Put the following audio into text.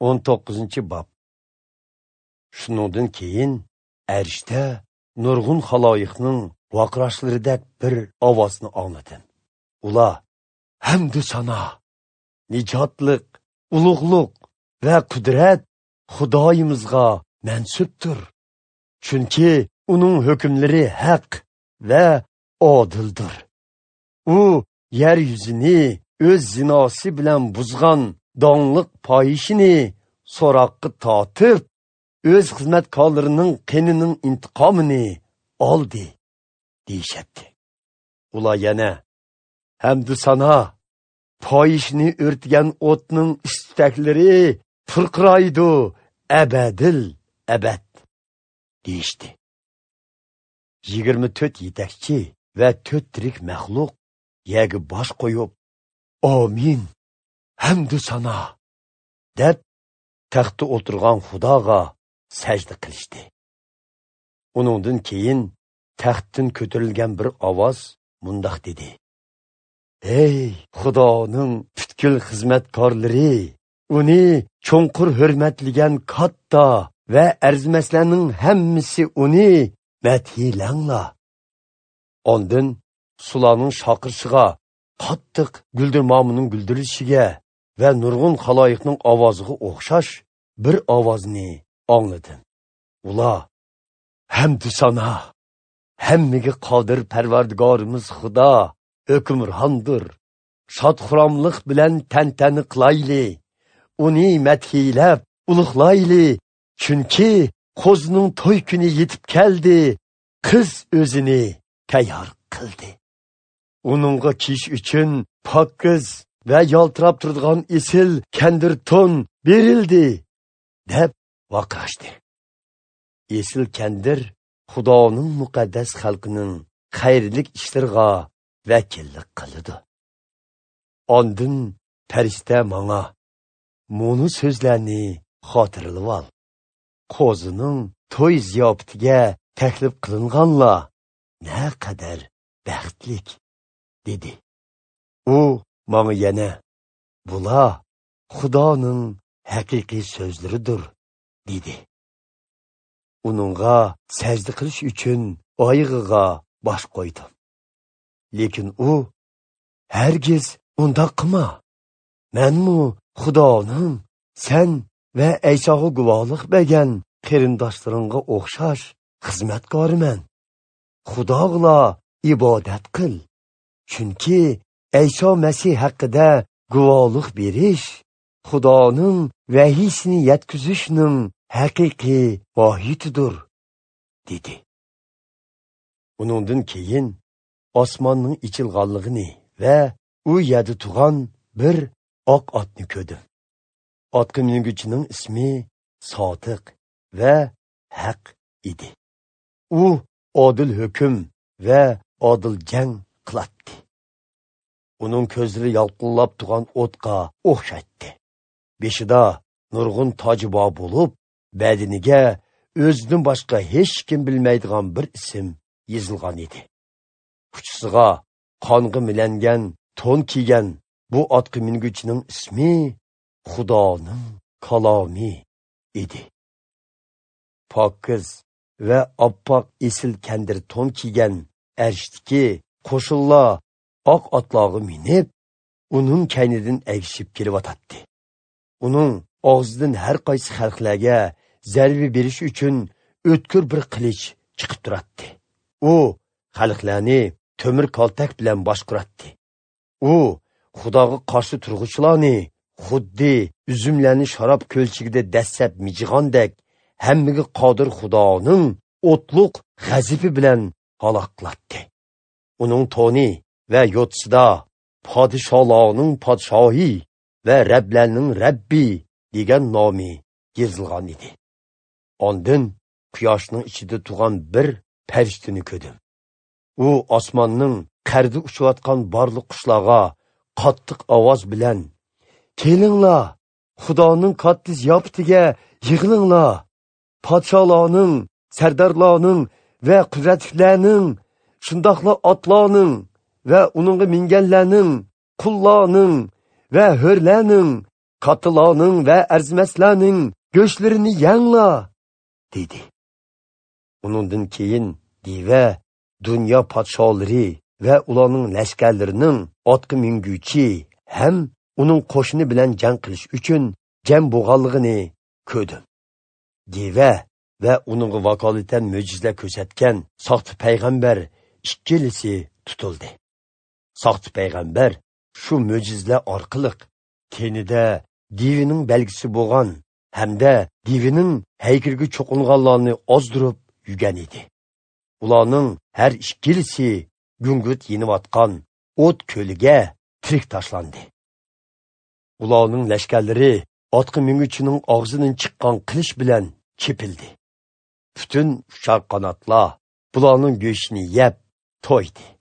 19 bob. Shuningdan keyin arshda nurg'un xaloyiqning vaqirashlaridek bir ovozni angladim. Ular: "Hamdu sano, nijotliq, ulug'liq va qudrat Xudoyimizga mansubdir. Chunki uning hukmlari haq va odildir. U yer yuzini o'z zinosi bilan buzgan dongliq poyishini so'roqqa tortib, o'z xizmatkorlarining qenining intiqomini oldi" deyishatdi. Ular yana: "Hamdu sano, poyishni o'rtgan o'tning istaklari purqiraydi abadil abad" deyishdi. 24 yetakchi va 4 tirik maxluq yerga bosh qo'yib, "Amin, hamdu sano" deb taxtda o'tirgan Xudoga sajda qilishdi. Uningdan keyin taxtdan ko'tarilgan bir ovoz mundoq dedi: "Ey Xudoning butkul xizmatkorlari, uni cho'nqur hurmatlagan katta va arzimaslarning hammasi uni madhiylanglar." Ondan sularning shaqirishiga, qattiq guldirmomining guldirishiga va nurg'un xaloyiqning ovoziga o'xshash bir ovozni angladim. Ular: "Hamdu sano, hammaga qodir Parvardigorimiz Xudo hukmrondir. Shod-xuromlik bilan tantana qilayli, uni madhiylab ulug'layli, chunki qo'zining to'y kuni yetib keldi, qiz o'zini tayyor qildi. Uningga kiyish uchun pokiz va yaltirab turadigan esil kandir to'n berildi" deb vaqirashdi. Esil kandir Xudoning muqaddas xalqining xayrlik ishlariga vakillik qiladi. Ondin farishta manga: "Muni so'zlarni xotirlab ol. Qo'zining to'y ziyofatiga taklif qilinganlar naqadar baxtlik" dedi. U manga yana: "Bular Xudoning haqiqiy so'zlaridir" dedi. Uningga sajda qilish uchun oyog'iga bosh qo'ydim. Lekin u: "Hargiz undoq qilma. Menmu Xudoning sen va Aysoga guvohlik bergan qarindoshlaringga o'xshash xizmatkoriman. Xudoga ibodat qil. Chunki Ayso Masih haqida guvohlik berish Xudoning vahiysini yetkazishning haqiqiy mohiyatidir" dedi. Uningdan keyin osmonning ichilganligini va u yerda turgan bir oq otni ko'rdim. Otga minguchining ismi Sodiq va Haq edi. U odil hukm va odil jang qilatdi. Uning ko'zlari yalqinlab turgan o'tga o'xshatdi. Beshida nurg'un toji bor bo'lib, badaniga o'zidan boshqa hech kim bilmaydigan bir ism yozilgan edi. Uchisiga qonga milangan to'n kiygan bu otga minguchining ismi Xudoning kalomi edi. Pokiz va oppoq esil kandir to'n kiygan arshdiki qo'shinlar oq otlarga minib, uning kaynidan agishib kelyotdi. Uning og'zidan har qaysi xalqlarga zarba berish uchun o'tkir bir qilich chiqib turadi. U xalqlarni temir kaltak bilan boshqaratdi. U Xudoga qarshi turg'uchilarni xuddi uzumlarni sharob ko'lchigida dastlab mijig'andek hammaga qodir Xudoning o'tliq g'azabi bilan halok qilatdi. Uning to'ni va yo'tsida podsholarning podshohi va Rablarning Rabbi degan nomi yozilgan edi. Ondan quyoshning ichida turgan bir farishtani ko'rdim. U osmonning qarda uchayotgan barliq qushlarga qattiq ovoz bilan: "Kelinglar, Xudoning katta ziyofatiga yig'ilinglar. Podsholarning, sardorlarning va qudratlilarning, shundoqla otlarning va uningga minganlarning, qullarning va ho'rlarning, Kattalarning va arzimaslarning go'shtlarini yanglar, dedi. Uningdan keyin deva dunyo podsholari va ularning lashkarlarining otga minguchi ham uning qo'shini bilan jang qilish uchun jam bo'lganligini ko'rdim. Deva va uningga vakolatan mo'jiza ko'rsatgan soxta payg'ambar ikkilisi tutildi. Soxta payg'ambar shu mo'jizalar orqali tenida devining belgisi bo'lgan hamda devining haykaliga cho'qinganlarni ozdirib yurgan edi. Ularning har ikkilisi gungut yeniyotgan o't ko'liga tirik tashlandi. Ularning lashkarlari otga minguchining og'zidan chiqqan qilich bilan chepildi. Butun uchar qanotlar bularning go'shtini yeb to'ydi.